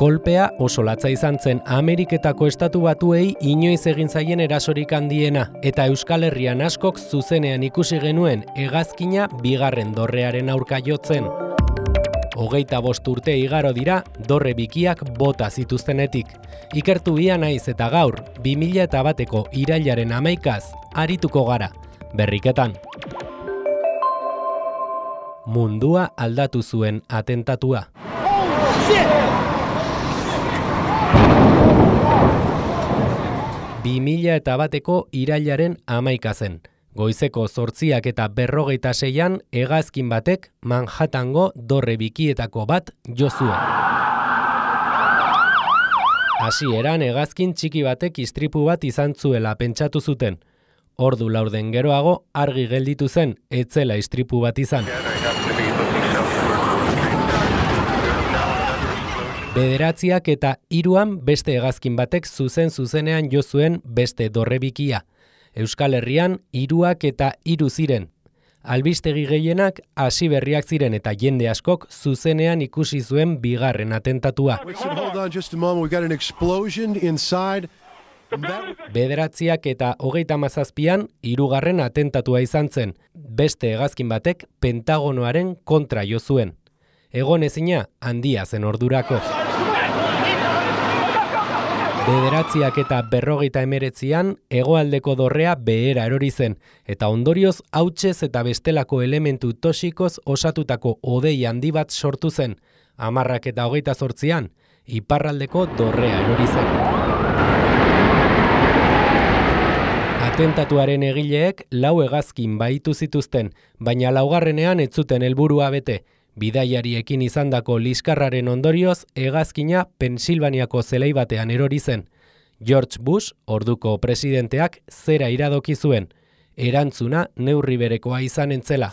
Kolpea oso latza izan zen Ameriketako Estatu Batuei inoiz egin zaien erasorik handiena, eta Euskal Herrian askok zuzenean ikusi genuen hegazkina bigarren dorrearen aurka jotzen. 25 urte igaro dira dorre bikiak bota zituztenetik. Ikertu ia naiz eta gaur, 2001ko irailaren 11az arituko gara, berriketan. Mundua aldatu zuen atentatua. 2001ko irailaren 11 zen. Goizeko 8:46 hegazkin batek Manhattango dorre bikietako bat jo zuen. Hasieran hegazkin txiki batek istripu bat izan zuela pentsatu zuten. Ordu laurden geroago argi gelditu zen ez zela istripu bat izan. Bederatziak eta 3an beste hegazkin batek zuzenean jo zuen beste dorre bikia. Euskal Herrian 3ak eta 3 ziren. Albistegi gehienak hasi berriak ziren eta jende askok zuzenean ikusi zuen bigarren atentatua. Bederatziak eta 37an 3. atentatua izan zen. Beste hegazkin batek Pentagonoaren kontra jo zuen. Egonezina handia zen ordurako. Bederatziak eta 59an hegoaldeko dorrea behera erori zen, eta ondorioz hautsez eta bestelako elementu toxikoz osatutako hodei handi bat sortu zen. 10ak eta 28an iparraldeko dorrea erori zen. Atentatuaren egileek 4 hegazkin bahitu zituzten, baina 4. ez zuten helburua bete. Bidaiariekin izandako liskarraren ondorioz, hegazkina Pensilvaniako zelai batean erori zen. George Bush, orduko presidenteak, zera iradoki zuen. Erantzuna neurri berekoa izan entzela.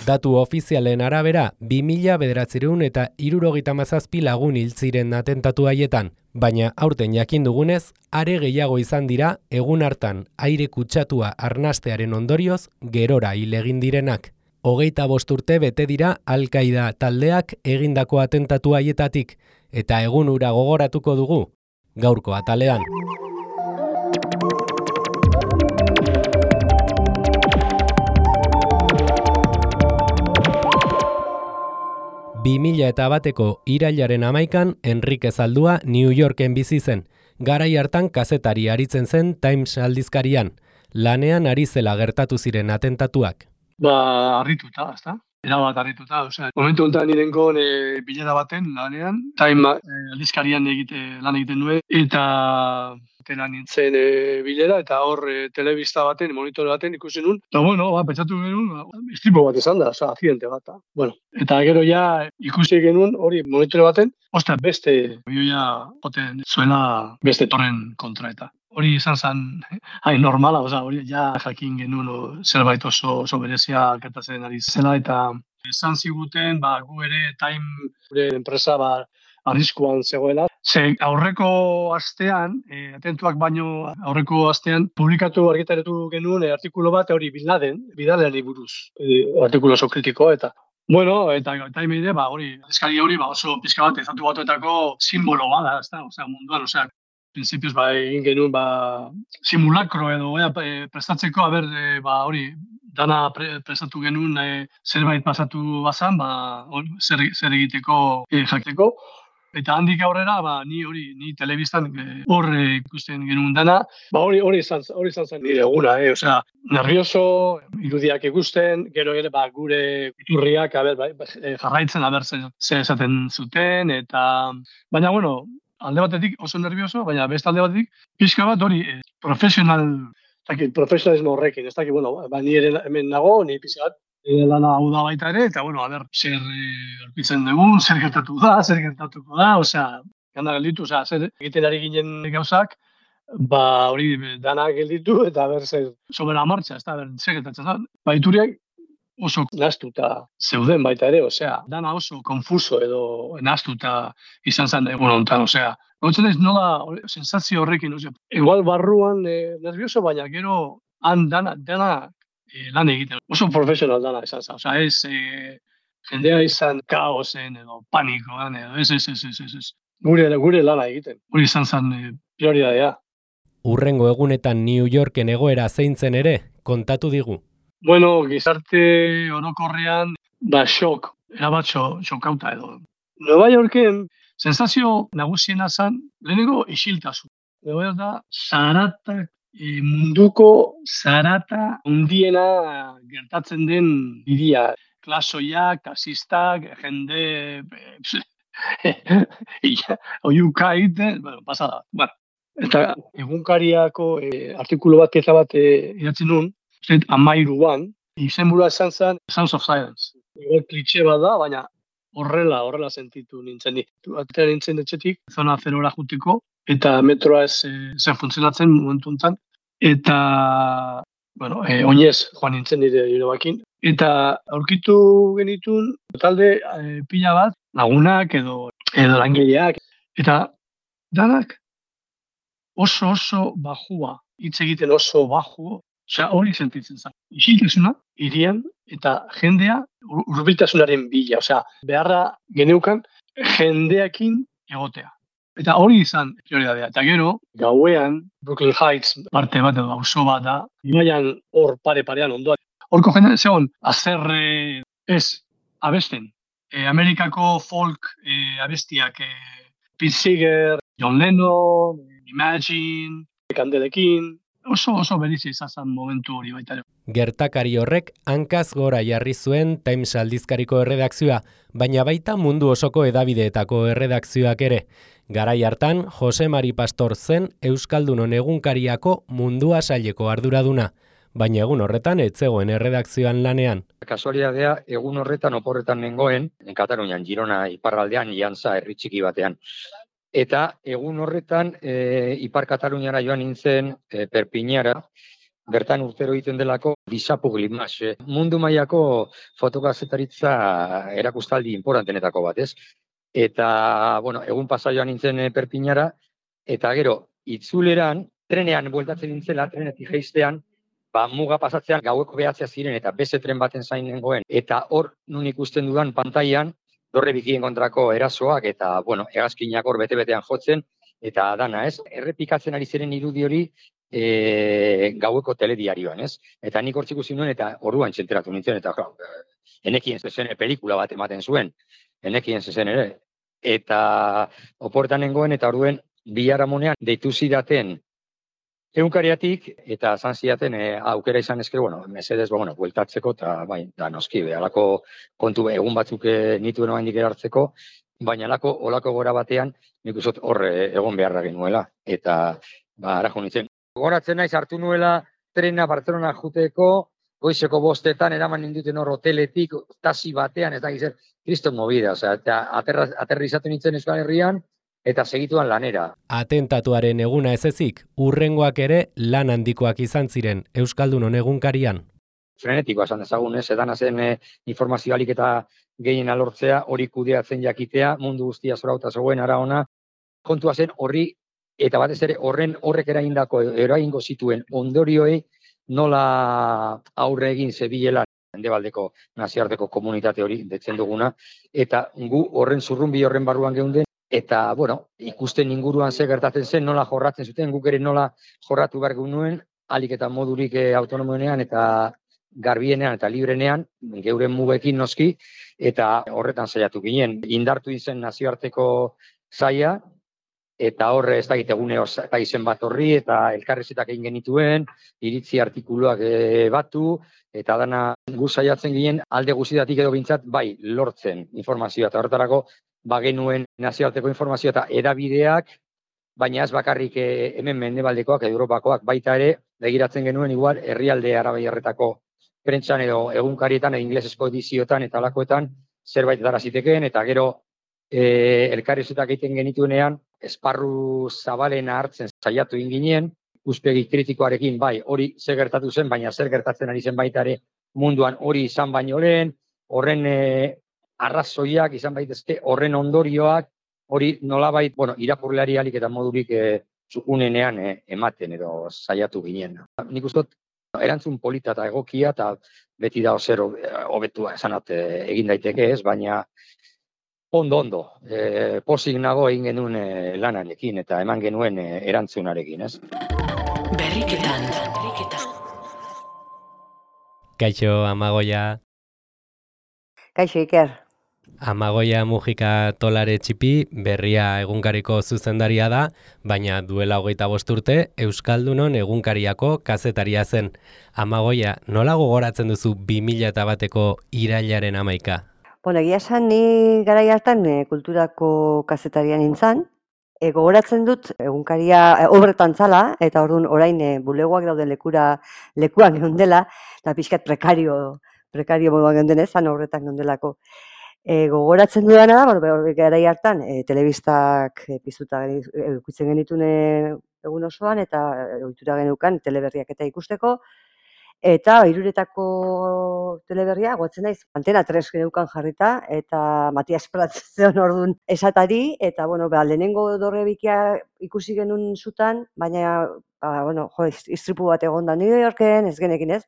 Datu ofizialen arabera, 2977 lagun hil ziren atentatu haietan, baina aurten jakin dugunez, are gehiago izan dira egun hartan aire kutsatua arnastearen ondorioz gerora hil egin direnak. 25 urte bete dira Al-Qaida taldeak egindako atentatu haietatik, eta egun hura gogoratuko dugu, gaurko atalean. Bateko irailaren 11an Enrique Zaldua New Yorken bizi zen. Garai hartan kazetari aritzen zen Times aldizkarian. Lanean ari zela gertatu ziren atentatuak. Harrituta, ezta? Erabat harrituta, osea, momentu honetan nirenkon bilera baten lanean, Time aldizkarian lan egiten nuen, eta tela nintzen bilera, eta hor telebista baten, monitor baten ikusi nun, eta pentsatu genuen, istripu bat izan da, akzidente bat. Eta gero ja ikusi genuen hori monitor baten, beste bioia joten zuela beste torren kontra eta. Hori izan zen normala, hori ja jakin genuen zerbait oso berezia gertatzen ari zela, eta esan ziguten gu ere Time gure enpresa arriskuan zegoela. Aurreko astean, atentuak baino aurreko astean, publikatu argitaratu genuen artikulu bat hori Bin Ladenari buruz, artikulu oso kritikoa eta eta Time ere, hori, eskari hori oso pixka bat Estatu Batuetako simbolo bada, munduan, prinsipioz egin genuen simulakro edo prestatzeko, hori, dana prestatu genuen zerbait pasatu bazan, zer egiteko jakiteko. Eta handik aurrera, ni telebistan hor ikusten genuen dana, hori izan zen nire eguna, nervioso, irudiak ikusten, gero ere gure iturriak jarraitzen zer esaten zuten, eta baina, alde batetik oso nervioso, baina beste alde batetik pixka bat hori profesionalismo horrekin, ez dakit, ni ere hemen nago, ni pixka bat lana hau da baita ere, eta zer aurkitzen dugun, zer gertatuko da, gana gelditu, zer egiten ari ginen gauzak, hori dana gelditu, eta zer sobera martxa, zer gertatzen da. Ituriak oso nahaztuta zeuden baita ere, dana oso konfuso edo nahaztuta izan zen egun honetan, gautzen ez nola sensazio horrekin, igual barruan nervioso, baina gero han dana lan egiten. Oso profesional dana izan zen, ez jendea izan kaosen edo panikoan edo ez. Gure lana egiten. Hori izan zen prioridadea. Urrengo egunetan New Yorken egoera zeintzen ere, kontatu digu. Bueno, gizarte orokorrean, shock, erabat xokauta edo. Nueva Yorken, sensazio nagusiena zen, lehenengo isiltasun. Nueva York da, zaratak, munduko zarata hundiena gertatzen den hiria. Klasoiak, kasistak, jende... oiuka egiten, pasada. Eta egunkariako artikulu bat, keza bat idatzi nun, 13an, izenburua esan zen Sounds of Silence. Ego klitxe bat da, baina horrela sentitu nintzen. Atera nintzen etxetik, zona zerora juteko, eta metroa ez zen funtzionatzen momentu enten. Eta, oinez joan nintzen nire bakin. Eta aurkitu genitun talde pila bat, lagunak edo langileak. Eta danak oso bajua, hitz egiten oso baju, hori sentitzen zen. Isiltasuna, hirian, eta jendea hurbiltasunaren bila. Beharra geneukan jendeakin egotea. Eta hori izan prioridadea. Eta gero, gauean, Brooklyn Heights parte bat edo auzo bat da, ibaian hor pare-parean ondoan. Horko jende, zegoen, azerre abesten. Amerikako folk abestiak, Pete Seeger, John Lennon, Imagine, Kandelekin, oso berizia izan zen momentu hori baita. Gertakari horrek hankaz gora jarri zuen Times aldizkariko erredakzioa, baina baita mundu osoko hedabideetako erredakzioak ere. Garai hartan, Jose Mari Pastor zen Euskaldunon egunkariako Mundua saileko arduraduna, baina egun horretan ez zegoen erredakzioan lanean. Kasualidadea, egun horretan oporretan nengoen, Katalunian, Girona iparraldean, Iantza herri txiki batean. Eta egun horretan Ipar Kataluniara joan nintzen Perpiñara, bertan urtero egiten delako Disapu Glimas, mundu mailako fotokazetaritza erakustaldi importantenetako bat, ez? Eta, egun pasa joan nintzen Perpiñara, eta gero, itzuleran, trenean bueltatzen nintzela, trenetik jeistean, muga pasatzean gaueko behatzea ziren eta beste tren baten zain nengoen. Eta hor, nun ikusten dudan pantailan, dorre bikien kontrako erasoak eta, hegazkinak hor bete-betean jotzen, eta dana, ez? Errepikatzen ari ziren irudi hori gaueko telediarioan, ez? Eta nik hortzik ikusi nuen eta orduan txenteratu nintzen, eta enekien zezen pelikula bat ematen zuen, enekien zezen ere. Eta oportan nengoen eta orduen biharamunean deitu zidaten egunkariatik eta zan zidaten aukera izan ezkero, mesedez, bueltatzeko eta noski, alako kontu egun batzuk nituen oraindik erartzeko, baina olako gora batean nik uste hor egon beharra genuela. Eta, ara jo nintzen. Goratzen naiz hartu nuela trena Barcelona juteko, goizeko 5 eraman ninduten hor hoteletik, taxi batean, ez da gizet, kriston movida, eta aterrizatu nintzen Euskal Herrian, eta segituan lanera. Atentatuaren eguna ez ezik, urrengoak ere lan handikoak izan ziren Euskaldunon egunkarian. Frenetikoa esan dezagun, edan zen informazio alik eta gehien alortzea, hori kudeatzen jakitea, mundu guztia zorauta zegoen ara ona, kontua zen horri, eta batez ere horrek eragingo zituen ondorioei nola aurre egin zebilela Mendebaldeko nazioarteko komunitate hori detzen duguna, eta gu horren zurrunbi horren barruan geunden, eta, ikusten inguruan ze gertatzen zen, nola jorratzen zuten, guk ere nola jorratu behar nuen, alik eta modurik autonomoenean eta garbienean eta librenean, geuren mugekin noski, eta horretan saiatu ginen. Indartu izen nazioarteko zaia, eta horre ez da egune izen bat horri, eta elkarrezetak egin genituen, iritzi artikuluak batu, eta dana gu saiatzen ginen alde guztietatik edo bintzat, lortzen informazioa, eta horretarako genuen nazioarteko informazioa eta edabideak, baina ez bakarrik hemen mendebaldekoak, Europakoak, baita ere, begiratzen genuen igual herrialde arabaiarretako prentsan edo egunkarietan, inglesezko edizioetan eta alakoetan zerbait dara zitekeen, eta gero elkarrezetak egiten genituenean, esparru zabalena hartzen saiatu inginen, ikuspegi kritikoarekin, hori zer gertatu zen, baina zer gertatzen ari zen baita ere munduan hori izan baino lehen, horren arrazoiak izan baitezke, horren ondorioak, hori nolabait, irakurleari alik eta modurik unenean ematen edo saiatu ginen. Nik uste Erantzun polita eta egokia, eta beti da zer hobetua esanat egin daiteke ez, baina ondo, pozik nago egin genuen lanarekin eta eman genuen erantzunarekin, ez? Berriketan. Kaixo, Amagoia. Kaixo, Iker. Amagoia Mujika Tolare Txipi berria egunkariko zuzendaria da, baina duela 25 urte Euskaldunon egunkariako kazetaria zen. Amagoia, nola gogoratzen duzu 2001eko irailaren 11? Bueno, egia esan ni garai hartan kulturako kazetaria nintzen. Gogoratzen dut egunkaria obretan zala, eta orduan orain bulegoak daude lekuan geundela, eta pixkat prekario moduan geundenez, zan obretan geundelako. Gogoratzen dudana da, garai hartan telebistak piztuta ikusten genituen egun osoan, eta ohitura geneukan teleberriak eta ikusteko, eta Hiruretako teleberria, goatzen naiz, Antena 3 geneukan jarrita, eta Matias Prats zeon orduan esatari, eta lehenengo dorrebikia ikusi genuen zutan, baina istripu bat egon da New Yorken, ez genekin ez,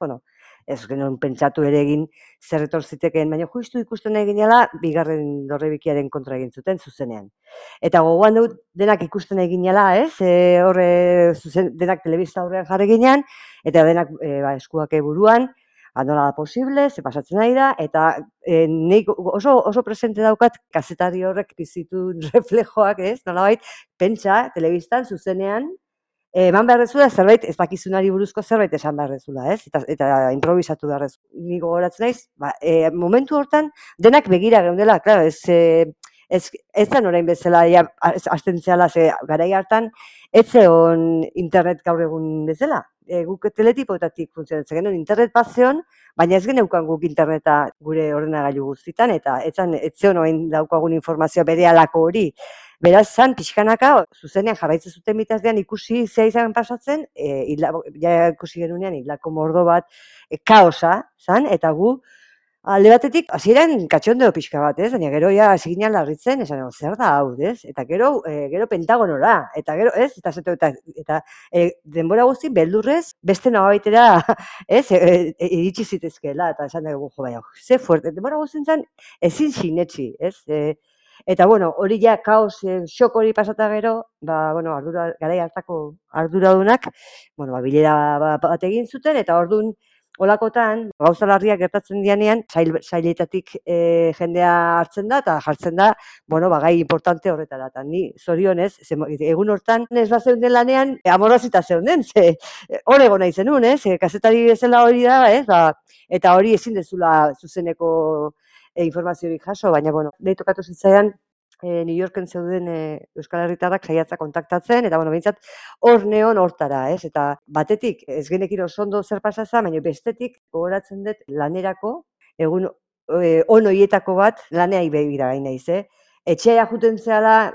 ez genuen pentsatu ere egin zer etor zitekeen, baina justu ikusten egin dela, bigarren dorrebikiaren kontra egin zuten zuzenean. Eta gogoan dut denak ikusten egin dela, ez? Denak telebista aurrean jarri ginean, eta denak eskuak buruan, nola da posible, ze pasatzen ari da, eta nik oso presente daukat kazetari horrek bizitun reflejoak, ez? Nolabait, pentsa, telebistan, zuzenean, eman behar dezula zerbait, ez dakizunari buruzko zerbait esan behar dezula, ez? Eta improvisatu behar dezula. Nik gogoratzen naiz, momentu hortan denak begira geundela, claro, ez zen orain bezala, hasten zehala, ze garai hartan, ez zeon internet gaur egun bezala. Guk teletipoetatik funtzionatzen genuen, internet bat zeon, baina ez geneukan guk interneta gure ordenagailu guztitan, eta ez zeon orain daukagun informazioa berehalako hori. Beraz, zan, pixkanaka, zuzenean jarraitzen zuten bitazdean ikusi zea izan pasatzen, ikusi genunean hilako mordo bat, kaosa, zan, eta gu, alde batetik, hasieran katxondeo pixka bat, ez? Baina gero ja hasi ginen larritzen, esan, zer da hau, ez? Eta gero Pentagonora, eta gero, ez? Eta denbora guzti beldurrez, beste nabaitera, ez? Iritsi zitezkeela, eta esan dugu, baina, ze fuerte, denbora guztintzen ezin sinetxi, ez? Eta, hori ja kaos, xok hori pasata gero, garai hartako arduradunak, bilera bat egin zuten, eta orduan, olakotan, gauza larriak gertatzen dianean, sailetatik jendea hartzen da, eta jartzen da, gai importante horretara. Eta ni, zorionez, egun hortan, ez bat zeunden lanean, amorrazita zeunden, hor egon nahi zenun, kazetari bezala hori da, eta hori ezin dezula zuzeneko informaziorik jaso, baina, nahi tokatu zitzaidan, New Yorken zeuden Euskal Herritarrak saiatza kontaktatzen, eta, behintzat, hor neon hortara, ez? Eta batetik, ez genekin oso ondo zer pasazan, baina bestetik, gogoratzen dut lanerako, egun onoietako bat, laneai begira gain naiz, Etxea juten zehala,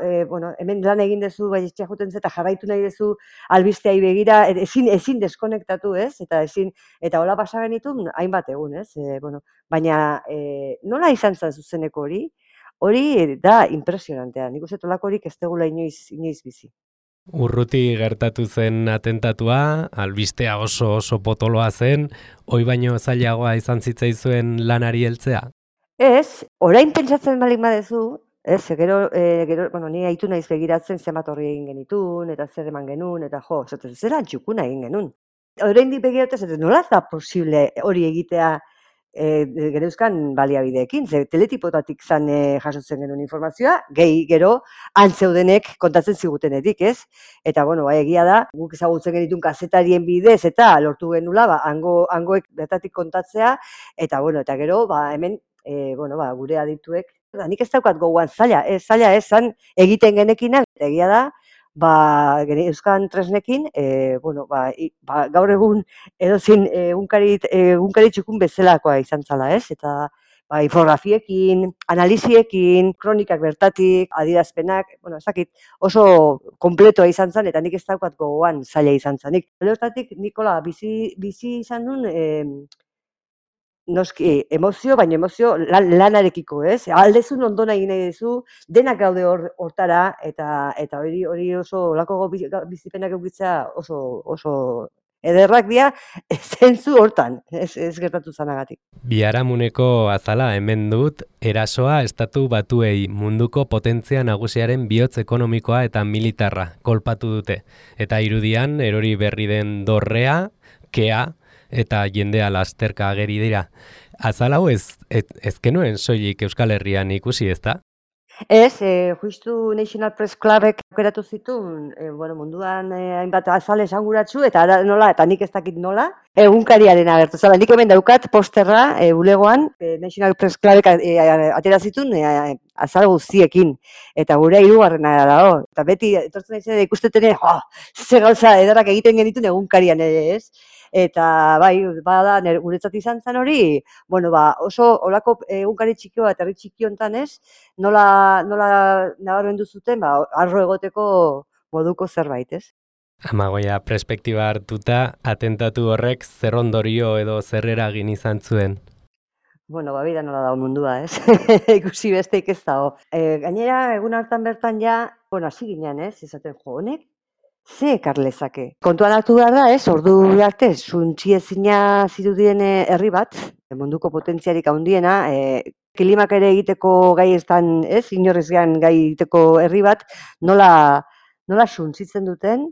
hemen lan egin dezu, bai etxea juten ze, eta jarraitu nahi dezu albisteai begira, ezin deskonektatu, ez? Eta hola pasa genitun, hainbat egun, ez? Baina nola izan zen zuzeneko hori? Hori da impresionantea, nik uste tolakorik ez degula inoiz bizi. Urruti gertatu zen atentatua, albistea oso potoloa zen, hoi baino zailagoa izan zitzaizuen lanari heltzea? Ez, orain pentsatzen balik badezu, gero, ni haitu naiz begiratzen zenbat horri egin genitun, eta zer eman genuen, eta zera antxukuna egin genuen. Orain dik begiratzen, nola da posible hori egitea gereuzkan baliabideekin, ze teletipotatik zan jasotzen genuen informazioa, gehi gero antzeudenek kontatzen zigutenetik, ez? Eta, egia da, guk ezagutzen genitun kazetarien bidez, eta lortu genula, hangoek bertatik kontatzea, eta gero, hemen, gure adituek, nik ez daukat gogoan zaila zan egiten genekinak, egia da, Euskan tresnekin, gaur egun edozin egunkari txukun bezalakoa izan zala, ez? Eta infografiekin, analiziekin, kronikak bertatik, adierazpenak, ez dakit, oso kompletoa izan zen, eta nik ez daukat gogoan zaila izan zanik. Hortatik, Nikola, bizi izan duen, noski, baina emozio lanarekiko, ez? Aldezun ondo nahi duzu, denak gaude hortara, eta hori oso, olako bizipenak eukitzea oso ederrak dira zentzu hortan, ez gertatu zanagatik. Biharamuneko azala hemen dut, erasoa estatu batuei munduko potentzia nagusiaren bihotz ekonomikoa eta militarra kolpatu dute. Eta irudian erori berri den dorrea, kea eta jendea lasterka ageri dira. Azal hau ez genuen soilik Euskal Herrian ikusi, ezta? Ez, justu National Press Clubek aukeratu zituen, munduan hainbat azal esanguratsu, eta eta nik ez dakit nola, egunkariaren agertu. Zala, nik hemen daukat posterra bulegoan, National Press Clubek atera zituen azal guztiekin, eta gure 3. dago. Eta beti, etortzen naizen ikustetene, ze gauza edarrak egiten genituen egunkarian ere, ez? Eta bai, bada guretzat izan zen hori, oso olako egunkari txikio bat, herri txiki hontan ez, nola nabarmendu zuten, arro egoteko moduko zerbait, ez? Amagoia, perspektiba hartuta, atentatu horrek zer ondorio edo zer eragin izan zuen? Bida nola dago mundua, ez? Ikusi besteik ez dago. Gainera, egun hartan bertan ja, hasi ginen, ez? Esaten honek, ze ekar lezake. Kontuan hartu behar da, ez? Ordu arte, suntziezina zirudien herri bat, munduko potentziarik handiena, klimak ere egiteko gai estan, ez? Inorrez gai egiteko herri bat, nola suntzitzen duten,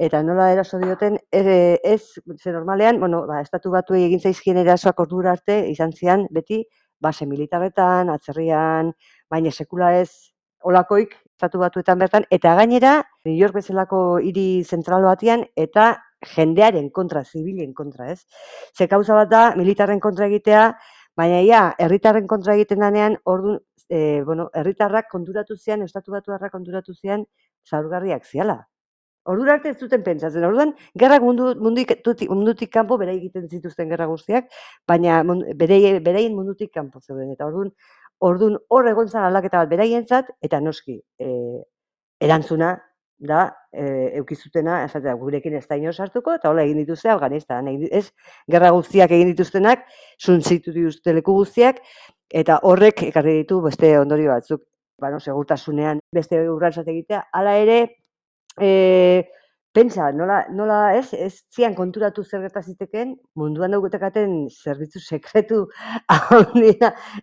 eta nola eraso dioten, ez, ze normalean, estatu batuei egin zaizkien erasoak ordura arte, izan zian, beti, base militarretan, atzerrian, baina sekula ez, olakoik, estatu batuetan bertan, eta gainera, New York bezalako hiri zentral batian, eta jendearen kontra, zibilen kontra, ez? Ze kauza bat da, militarren kontra egitea, baina herritarren kontra egiten danean, orduan, herritarrak konturatu zian, estatu batuarrak konturatu zian, zaurgarriak ziala. Ordura arte ez zuten pentsatzen, orduan, gerrak mundutik kanpo, bera egiten zituzten gerra guztiak, baina beraien mundutik kanpo zeuden, eta orduan hor egon zan aldaketa bat beraientzat, eta noski, erantzuna da, eukizutena, gurekin ez da ino sartuko, eta hola egin dituzte Afganistan, ez gerra guztiak egin dituztenak, suntzitu dituzte leku guztiak, eta horrek ekarri ditu beste ondorio batzuk, segurtasunean beste urratsak egitea, hala ere, pentsa, nola ez zian konturatu zer gertaziteken, munduan daukatekaten zerbitzu sekretu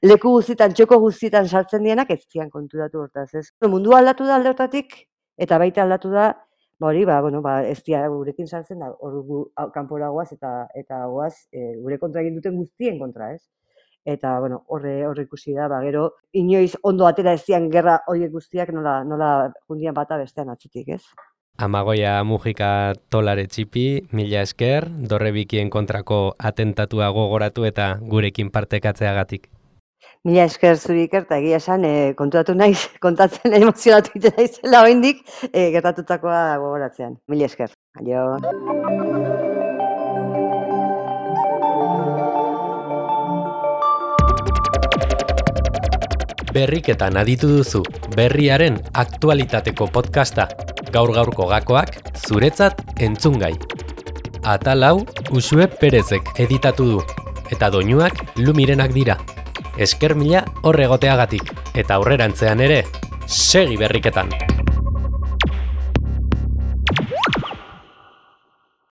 leku guztietan, txoko guztietan sartzen dienak, ez zian konturatu hortaz, ez? Mundua aldatu da alde hortatik, eta baita aldatu da, ez dira gurekin sartzen da, kanpora goaz eta goaz gure kontra egin duten guztien kontra, ez? Eta, horre ikusi da, gero, inoiz ondo atera ez zian gerra horiek guztiak nola jundian bata bestean atzitik, ez? Amagoia Mujika Tolare Txipi, mila esker, Dorrebikien kontrako atentatua gogoratu eta gurekin partekatzeagatik. Mila esker zuri Iker, eta egia esan, konturatu naiz, kontatzen emozionatu egiten naizela oraindik gertatutakoa gogoratzean. Mila esker. Aio. Berriketan aditu duzu, berriaren aktualitateko podcasta. Gaur-gaurko gakoak zuretzat entzungai. Atal hau Uxue Perezek editatu du, eta doinuak Lumirenak dira. Esker mila horregoteagatik, eta aurrerantzean ere, segi berriketan!